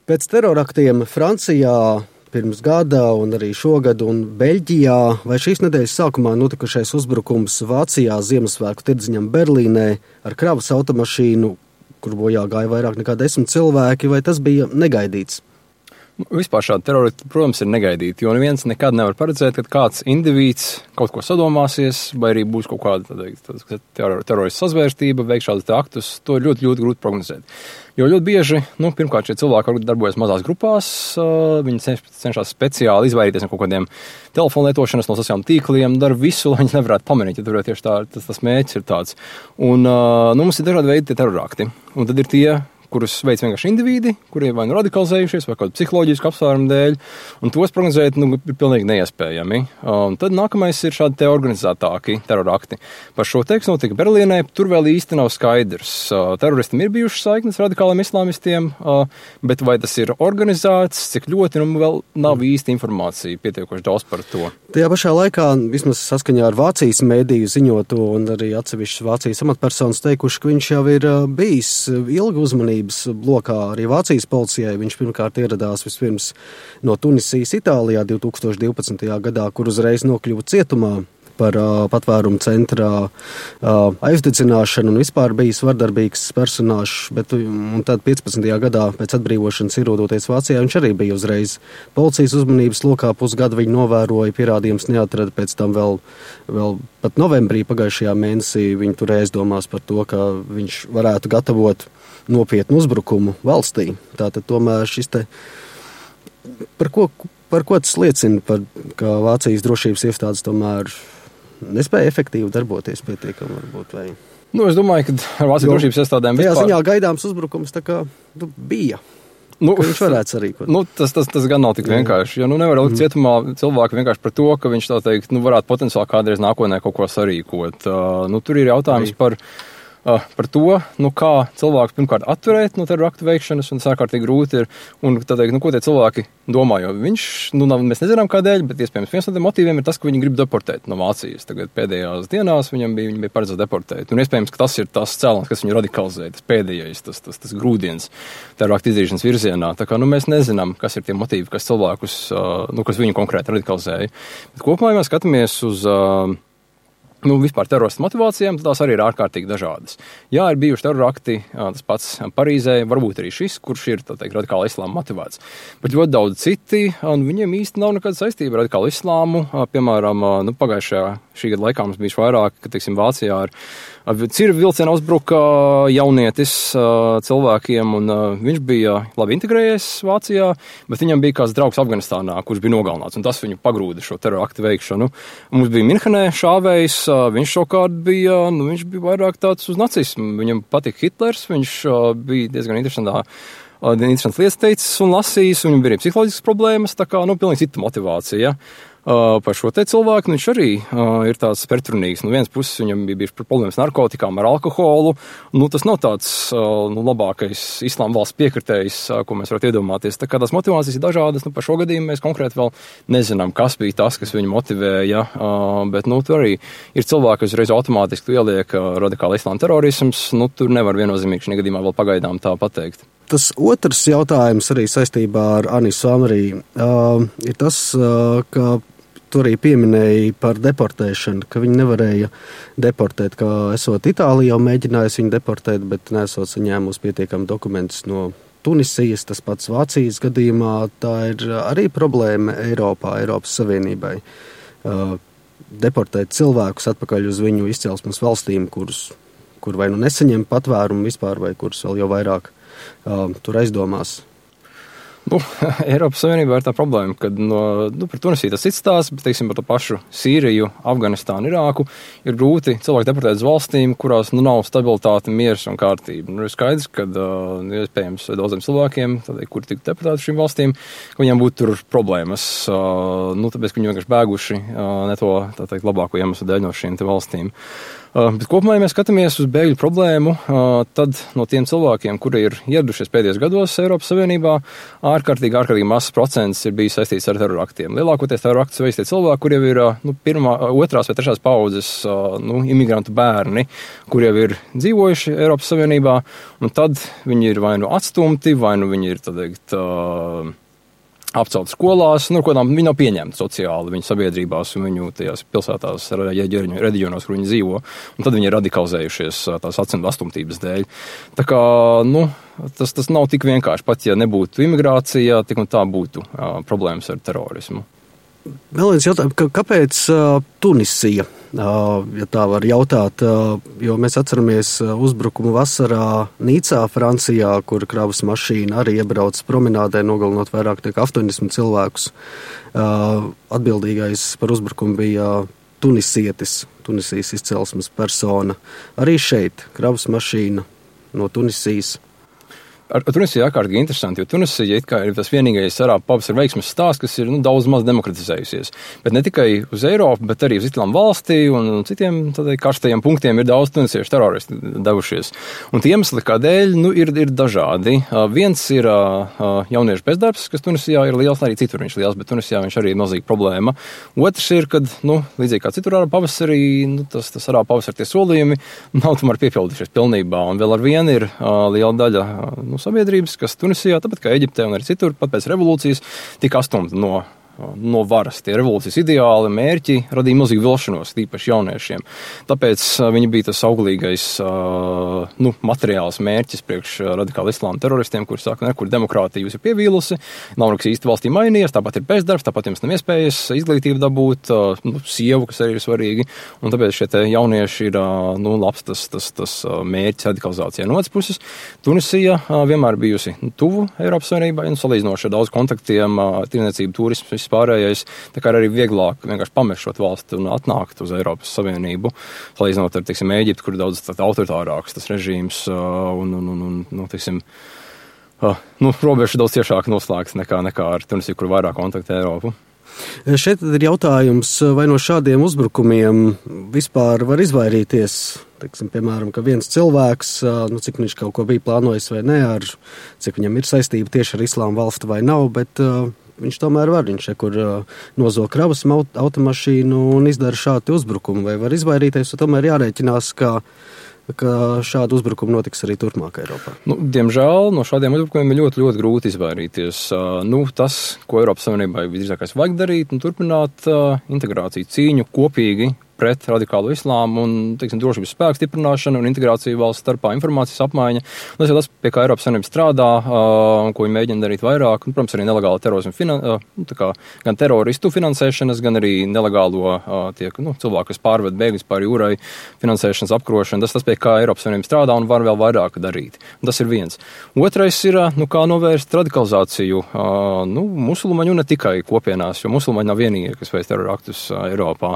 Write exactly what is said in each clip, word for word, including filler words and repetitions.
Pēc teroraktiem Francijā pirms gada un arī šogad un Beļģijā vai šīs nedēļas sākumā notikušais uzbrukums Vācijā Ziemassvētku tirdziņam Berlīnē ar kravas automašīnu, kur bojā gāja vairāk nekā desmit cilvēki, vai tas bija negaidīts? Vispār šādi teroristi, protams, ir negaidīti, jo neviens nekad nevar paredzēt, ka kāds indivīds kaut ko sadomāsies, vai arī būs kaut kāda teror, terorista sazvērstība, veiks šādus aktus. To ir ļoti, ļoti grūti prognozēt. Jo ļoti bieži, nu, pirmkārt, šie cilvēki varbūt darbojas mazās grupās, uh, viņi cenšas speciāli izvairīties no kaut kādiem telefonu lietošanas, no sociāliem tīkliem, dara visu, lai viņi nevarētu pamanīt, ja tur tieši tā, tas, tas mērķis ir tāds. Un, uh, nu, mums ir dažādi veidi tie terorakti, un tad ir tie, kurus veids vienkārši individi, kuriem vai nu radikalizējušies, vai kādu psiholoģisku apsvērumu dēļ, un tos prognozēt, nu, ir pilnīgi neiespējami. Un tad nākamais ir šādi te organizētāki terorakti. Par šo tekstu notika Berlīnē, tur vēl īsti nav skaidrs. Teroristam ir bijušas saiknes radikāliem islāmistiem, bet vai tas ir organizēts, cik ļoti, nu, vēl nav īsti informācija pietiekoši daudz par to. Tajā pašā laikā, vismaz saskaņā ar Vācijas mēdīju ziņotu un arī atsevišķas Vācijas amatpersonas teikuši, ka viņš jau ir bijis ilgi uzmanības blokā arī Vācijas policijai. Viņš pirmkārt ieradās vispirms no Tunisijas Itālijā divtūkstoš divpadsmitajā gadā, kur uzreiz nokļuva cietumā par uh, patvērumu centrā uh, aizdedzināšanu un vispār bijis vardarbīgs personāžs, bet un tad piecpadsmitajā gadā pēc atbrīvošanas ierodoties Vācijā, viņš arī bija uzreiz policijas uzmanības lokā, pusgadu viņu novēroja, pierādījums neatrada, pēc tam vēl, vēl pat novembrī pagājušajā mēnesī viņi tur aizdomās par to, ka viņš varētu gatavot nopietnu uzbrukumu valstī. Tātad tomēr šis te, par ko, par ko tas liecina, par, ka Vācijas drošības iestādes tomēr nespēja efektīvi darboties pietiekami varbūt, vai... Nu, es domāju, ka ar Vācijas drošības iestādēm vispār... Tajā ziņā gaidāms uzbrukums tā kā nu, bija. Nu, viņš varētu sarīkot. Nu, tas, tas, tas gan nav tik vienkārši, jo nu, nevar likt cietumā cilvēku vienkārši par to, ka viņš tā teikt, nu, varētu potenciāli kādreiz nākotnē kaut ko sarīkot. Uh, nu, tur ir jautājums Ai. par... Uh, par to, nu, kā cilvēks pirmkārt atturēt no teroraktu veikšanas, un sārkārtīgi grūti ir, un tā teikt, nu, ko tie cilvēki domā, jo viņš, nu, nav, mēs nezinām kādēļ, bet iespējams viens no tiem motīviem ir tas, ka viņi grib deportēt no Vācijas. Tagad pēdējās dienās viņam bija, viņi bija paredzēts deportēt, un iespējams, ka tas ir tas cēlons, kas viņu radikalizē, tas pēdējais, tas, tas, tas grūdiens teroraktu izdarīšanas virzienā. Tā kā, nu, mēs nezinām, kas ir tie motīvi, kas cilvēkus, uh, nu, kas viņu konkrēti radikalizēja. Bet kopumā, ja mēs skatāmies uz uh, Nu, vispār teroristu motivācijām, tās arī ir ārkārtīgi dažādas. Jā, ir bijuši terorakti, tas pats Parīzē, varbūt arī šis, kurš ir, tā teikt, radikāli islāma motivēts. Bet ļoti daudz citi, un viņiem īsti nav nekāda saistība ar radikālu islāmu. Piemēram, nu, pagājušajā šī gada laikā mums bijuši vairāk, ka, teiksim, Vācijā ar, ar cirvi vilcienā uzbruka jaunietis cilvēkiem, un viņš bija labi integrējies Vācijā, bet viņam bija kāds draugs Afganistānā, kurš bija nogalināts, un tas viņu pagrūda šo teroraktu veikšanu. Mums bija Minhenē šāvējs, viņš šokārt bija, nu, viņš bija vairāk tāds uz nacismu. Viņam patika Hitlers, viņš bija diezgan interesantā, interesants lietas teicis un lasījis, un viņam bija arī psiholoģiskas problēmas, tā kā, nu, pilnīgi cita motivācija. Uh, par šo te cilvēku, nu, viņš arī uh, ir tāds pretrunīgs. No vienas puses viņam bija bijuši problēmas narkotikām, ar alkoholu. Nu, tas nav tāds uh, nu, labākais islāma valsts piekritējs, uh, ko mēs varētu iedomāties. Tā kā tās motivācijas ir dažādas, nu, par šo gadījumu mēs konkrēti vēl nezinām, kas bija tas, kas viņu motivēja, uh, bet, nu, tur arī ir cilvēki, kas uzreiz automātiski ieliek uh, radikāli islāma terorisms. Nu, tur nevar viennozīmīgi šajā gadījumā vēl pagaidām tā pateikt. Tas otrs jautājums arī saistībā ar Anisu Amariju uh, ir tas, uh, ka tu arī pieminēji par deportēšanu, ka viņi nevarēja deportēt, kā esot Itālija jau mēģinājusi viņu deportēt, bet nesot saņēmusi pietiekami dokumentus no Tunisijas, tas pats Vācijas gadījumā. Tā ir arī problēma Eiropā, Eiropas Savienībai. Uh, deportēt cilvēkus atpakaļ uz viņu izcelsmes valstīm, kurus, kur vai nu nesaņem patvērumu vispār, vai kurus vēl jau vairāk uh, tur aizdomās. Nu, Eiropas Savienībā ir tā problēma, ka no, nu, par Tunisiju tas cits stāsts, bet, teiksim, par to pašu Sīriju, Afganistānu, Irāku ir grūti cilvēki deportēt uz valstīm, kurās, nu, nav stabilitāte, miers un kārtība. Nu, ir skaidrs, ka, uh, iespējams, daudziem cilvēkiem, tādēļ, kuri tiktu deportēti uz šīm valstīm, ka viņiem būtu tur problēmas, uh, nu, tāpēc, ka viņi vienkārši bēguši uh, ne to, tā teikt, labāko iemeslu dēļ no šīm te valstīm. Bet kopumā, ja mēs skatāmies uz bēgļu problēmu, tad no tiem cilvēkiem, kuri ir ieradušies pēdējos gados Eiropas Savienībā, ārkārtīgi, ārkārtīgi mazs procents ir bijis saistīts ar teroraktiem. Lielākoties teroraktus veids tie cilvēki, kur jau ir nu, pirmā, otrās vai trešās paudzes nu, imigrantu bērni, kur jau ir dzīvojuši Eiropas Savienībā, un tad viņi ir vai nu atstumti, vai nu viņi ir, tā teikt, apcelt skolās, nu, kodām viņi nav pieņemti sociāli viņu sabiedrībās un viņu tajās pilsētās, reģionos, kur viņi dzīvo, un tad viņi ir radikalizējušies tās atstumtības dēļ. Tā kā, nu, tas, tas nav tik vienkārši, pat ja nebūtu imigrācija, tik un tā būtu uh, problēmas ar terorismu. Vēl viens jautājums, kāpēc uh, Tunisija, uh, ja tā var jautāt, uh, jo mēs atceramies uh, uzbrukumu vasarā Nīcā, Francijā, kur kravas mašīna arī iebrauc promenādē, nogalinot vairāk nekā astoņdesmit cilvēkus. Uh, atbildīgais par uzbrukumu bija tunisietis, Tunisijas izcelsmes persona. Arī šeit kravas mašīna no Tunisijas. Ar, ar Tunisiju ārkārtīgi interesanti, jo Tunisija it kā ir tas vienīgais arābu pavasara veiksmes stāsts, kas ir nu, daudz maz demokratizējusies. Bet ne tikai uz Eiropu, bet arī uz Islāma valstī un, un citiem tādai karstajiem punktiem ir daudz tunisiešu teroristi devušies. Un tie iemesli, kādēļ, nu, ir, ir dažādi. Uh, viens ir uh, jauniešu bezdarbs, kas Tunisijā ir liels, arī citur viņš liels, bet Tunisijā viņš arī ir milzīga problēma. Otrs ir, kad, nu, līdzīgi kā citur arābu pavasarī, nu, tas, tas arābu pavasara tie solījumi nav tomēr piepildījušies pilnībā. Un vēl ar vienu ir uh, liela daļa uh, nu, sabiedrības, kas Tunisijā, tāpat kā Eģiptē un arī citur, pat pēc revolūcijas, tika astumta no, no varas. Tie revolūcijas ideāli, mērķi radīja milzīgu vilšanos, tīpaši jauniešiem. Tāpēc viņi bija tas auglīgais nu, materiāls mērķis priekš radikāli islāma teroristiem, kuri saka, ne, kur demokrātija jūs ir pievīlusi, nav nekas īsti valstī mainījies, tāpat ir bezdarbs, tāpat jums nav iespējas izglītību dabūt, nu, sievu, kas arī ir svarīgi, un tāpēc šie te jaunieši ir nu, labs tas, tas, tas mērķis radikalizācijai. No otras puses, Tunisija vienmēr bijusi nu, tuvu Eiropas Savienībai, nu, salīdzinoši ar daudz kontaktiem, tirniecību, turismu, pārējais, tā kā arī vieglāk vienkārši pamešot valsti un atnākt uz Eiropas Savienību, salīdzinot ar, teiksim, Ēģipti, kur ir daudz autoritārāks tas režīms un, un, un, un nu, teiksim, nu, robeža daudz ciešāk noslēgts nekā, nekā ar Tunisiju, kur vairāk kontaktē Eiropu. Šeit ir jautājums, vai no šādiem uzbrukumiem vispār var izvairīties, teiksim, piemēram, ka viens cilvēks, nu, cik viņš kaut ko bija plānojis vai ne, ar, cik viņam ir saistība tieši ar islāma valsti vai nav, bet viņš tomēr var, viņš kur nozog kravas automašīnu un izdara šādu uzbrukumu, vai var izvairīties, un tomēr jārēķinās, ka, ka šādu uzbrukumu notiks arī turpmāk Eiropā. Nu, diemžēl no šādiem uzbrukumiem ir ļoti, ļoti grūti izvairīties. Nu, tas, ko Eiropas Savienībai visdrīzākais vajag darīt, un turpināt uh, integrāciju, cīņu kopīgi pret radikālu islāmu un, teiksim, drošības spēku stiprināšanu un integrāciju valsts starpā, informācijas apmaiņa. Un tas ir tas, pie kā Eiropas Savienība strādā, un ko viņi mēģina darīt vairāk. Un, protams, arī nelegāla terorismu, finan, tā kā, gan teroristu finansēšanas, gan arī nelegālo tiek, nu, cilvēku, kas pārved bēgļus pāri jūrai, finansēšanas apkarošana. Tas tas, pie kā Eiropas Savienība strādā un var vēl vairāk darīt. Un tas ir viens. Otrais ir, nu, kā novērst radikalizāciju, nu, musulmaņu un ne tikai kopienās, jo musulmaņi nav vienīgie, kas veic teroraktus Eiropā.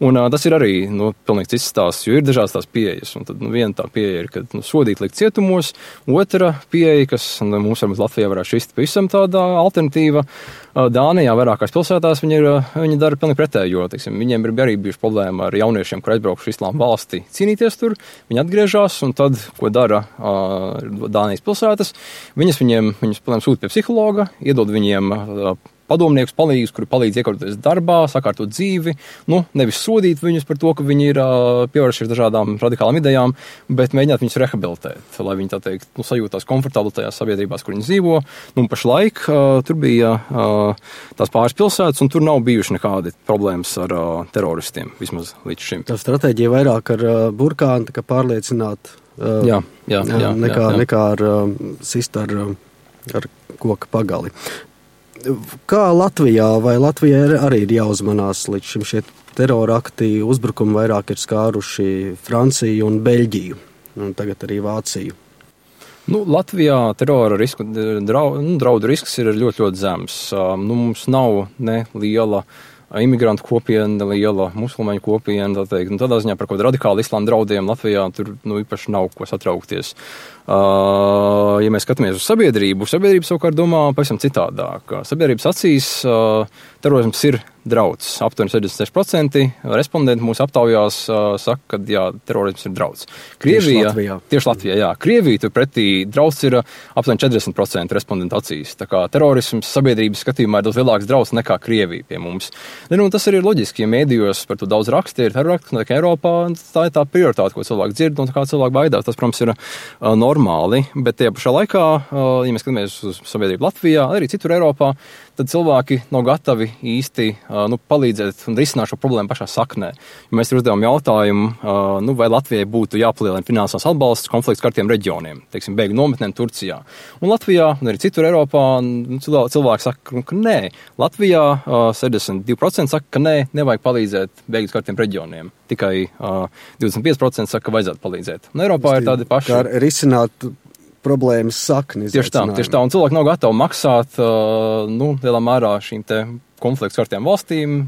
Un tas ir arī, nu, pilnīgi cits stāsts, jo ir dažādas tās pieejas. Un tad, nu, viena tā pieeja ir, ka, nu, sodīt likt cietumos, otra pieeja, kas, nu, mums varbūt Latvijā varētu šķist pavisam tāda alternatīva. Dānijā vairākās pilsētās viņi, ir, viņi dara pilnīgi pretējo, teiksim, viņiem ir arī bijuši problēma ar jauniešiem, kur aizbraukuši islāma valstī cīnīties tur, viņi atgriežās, un tad, ko dara uh, Dānijas pilsētas, viņas viņiem, viņus, protams, sūta pie psihologa, iedod viņiem uh, padomniekus, palīgus, kuri palīdz iekārtoties darbā, sakārtot dzīvi, nu, nevis sodīt viņus par to, ka viņi ir uh, pievēršies dažādām radikālām idejām, bet mēģināt viņus rehabilitēt, lai viņi, tā teikt, nu, sajūtās komfortabli tajās sabiedrībās, kur viņi dzīvo. Nu, pašlaik uh, tur bija uh, tās pāris pilsētas, un tur nav bijuši nekādi problēmas ar uh, teroristiem, vismaz līdz šim. Tā stratēģija vairāk ar uh, burkānu, tā kā pārliecināt, uh, jā, jā, jā, nekā, jā, jā. nekā ar uh, sist ar, ar koka pagali. Kā Latvijā, vai Latvijai arī ir jāuzmanās līdz šim šie terorakti, uzbrukumi vairāk ir skāruši Franciju un Beļģiju, un tagad arī Vāciju? Nu, Latvijā terora risku, draudu, nu, draudu risks ir ļoti, ļoti zems. Nu, mums nav ne liela imigrantu kopiena, liela musulmaņu kopiena, tā teikt. Nu, tādā ziņā par kaut kādu radikālu islāma draudiem Latvijā tur, nu, īpaši nav ko satraukties. Uh, ja mēs skatāmies uz sabiedrību, sabiedrība savukārt domā pavisam citādāk. Sabiedrības acīs uh, terorisms ir drauds. Aptuveni sešdesmit seši procenti respondenti mūsu aptaujās uh, saka, ka jā, terorisms ir drauds. Krievija, tieši Latvijā. Tieši Latvijā, jā. Krievija turpretī drauds ir uh, aptuveni četrdesmit procenti respondentu acīs. Tā kā terorisms sabiedrības skatījumā ir daudz lielāks drauds nekā Krievija pie mums. Nu, tas arī ir loģiski, ja mēdījos par to daudz raksta, ir terrorakti, un tā Eiropā tā ir tā prioritāte, ko cilvēki dzird, un kā cilvēki baidās. Tas, protams, ir uh, normāli, bet tie pašā laikā, uh, ja mēs skatāmies uz sabiedrību Latvijā, arī citur Eiropā, tad cilvēki nav gatavi īsti uh, nu, palīdzēt un risināt šo problēmu pašā saknē. Ja mēs uzdevām jautājumu, uh, nu, vai Latvijai būtu jāpalielina finansiāls atbalsts konflikts kartiem reģioniem, teiksim, bēgļu nometnēm Turcijā. Un Latvijā, un arī citur Eiropā, nu, cilvēki saka, ka nē. Latvijā uh, sešdesmit divi procenti saka, ka nē, nevajag palīdzēt bēgļu kartiem reģioniem. Tikai uh, divdesmit pieci procenti saka, ka vajadzētu palīdzēt. Un Eiropā ir tādi paši. Kā risināt problēmas sakni. Tieši tā, tieši tā, un cilvēki nav gatavi maksāt, uh, nu, lielā mērā šīm te konflikts kartiem valstīm,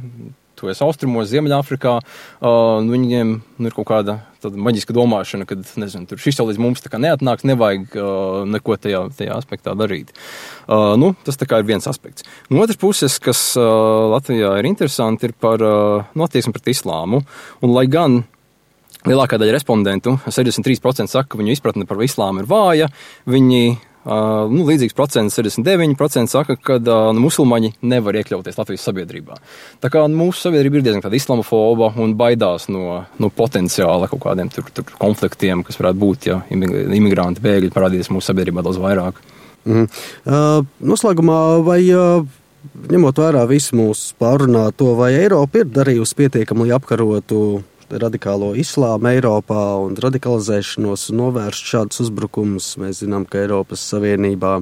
to es austrumos, Ziemeļāfrikā, uh, nu, viņiem nu, ir kaut kāda tāda maģiska domāšana, kad, nezinu, tur šis jau līdz mums tā kā neatnāks, nevajag uh, neko tajā, tajā aspektā darīt. Uh, nu, tas tā kā ir viens aspekts. No otras puses, kas uh, Latvijā ir interesanti, ir par uh, nu, attieksmi pret islāmu, un lai gan lielākā daļa respondentu, sešdesmit trīs procenti saka, ka viņu izpratne par islāmu ir vāja, viņi, uh, nu, līdzīgs procents, sešdesmit deviņi procenti saka, ka uh, musulmaņi nevar iekļauties Latvijas sabiedrībā. Tā kā mūsu sabiedrība ir diezgan tāda islamofoba un baidās no, no potenciāla kaut kādiem tur, tur konfliktiem, kas varētu būt, ja imigranti bēgļi parādīties mūsu sabiedrībā daudz vairāk. Mm. Uh, noslēgumā vai... Uh... Ņemot vērā visu mūsu pārunāto, vai Eiropa ir darījusi pietiekami, lai apkarotu radikālo islāmu Eiropā un radikalizēšanos un novērst šādus uzbrukumus? Mēs zinām, ka Eiropas Savienībā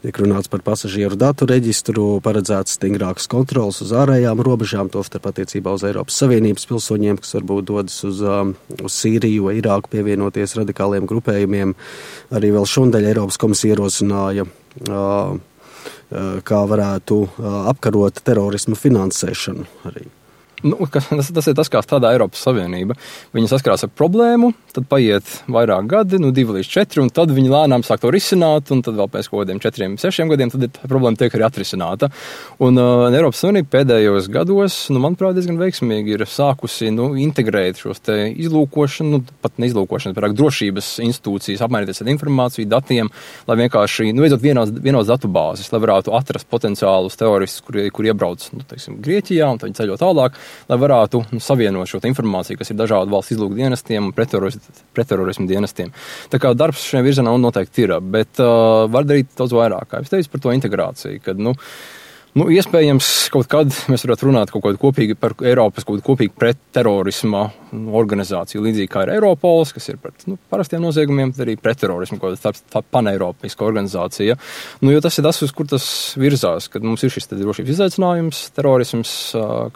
tiek runāts par pasažieru datu reģistru, paredzēts stingrākas kontrolas uz ārējām robežām, tostarp attiecībā uz Eiropas Savienības pilsoņiem, kas varbūt dodas uz, uz Sīriju vai Irāku pievienoties radikāliem grupējumiem. Arī vēl šondaļ Eiropas komisija ierosināja uh, kā varētu apkarot terorismu finansēšanu arī. Nu, tas, tas ir tas, kā strādā Eiropas Savienība. Viņi saskarās ar problēmu, tad paiet vairāk gadi, nu divi līdz četri, un tad viņi lēnām sāk to risināt, un tad vēl pēc kaut kādiem četriem, sešiem gadiem, tad tā problēma tiek arī atrisināta. Un uh, Eiropas Savienība pēdējos gados, nu, manuprāt, diezgan veiksmīgi ir sākusi, nu, integrēt šos te izlūkošanu, nu, pat ne izlūkošanu, vairāk drošības institūcijas, apmainīties ar informāciju, datiem, lai vienkārši, nu, veidot vienos, vienos datubāzes, lai varētu atrast potenciālus teroristus, kuri, kuri iebrauc, nu, teiksim, Grieķijā, un tad viņi ceļo tālāk, lai varētu nu, savienot šo informāciju, kas ir dažādu valsts izlūku dienestiem un pretterorismu dienestiem. Tā kā darbs šajā virzienā noteikti ir, bet uh, var darīt daudz vairāk, kā es teicu, par to integrāciju, kad, nu, nu, iespējams, kaut kad mēs varētu runāt kaut kādu kopīgi par Eiropas, kaut kādu kopīgi pretterorisma organizāciju, līdzīgi kā ir Eiropols, kas ir pret, nu, parastiem noziegumiem, tad arī pretterorismu, kaut kāda tā, tā paneiropiska organizācija. Nu, jo tas ir tas, uz kur tas virzās, kad mums ir šis drošības izaicinājums, terorisms,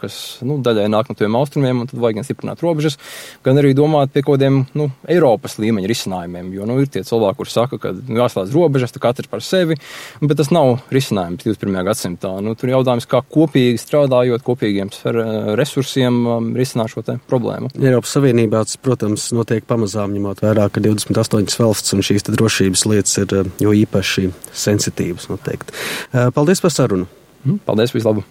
kas, nu, daļai nāk no tiem austrumiem, un tad vajag gan stiprināt robežas, gan arī domāt pie kaut kādiem, nu, Eiropas līmeņa risinājumiem, jo, nu, ir tie cilvēki, kuri saka, ka nu, jāslēdz robežas, tā katrs par sevi, bet tas nav risinājums divdesmit pirmajā gadsimtā. Nu, tur jautājums, kā kopīgi strādājot, kopīgiem resursiem risināt šo te problēmu. Eiropas Savienībā, protams, notiek pamazām, ņemot vērā, ka divdesmit astoņas valsts un šīs drošības lietas ir jo īpaši sensitīvas, noteikti. Paldies par sarunu. Paldies, vislabāk.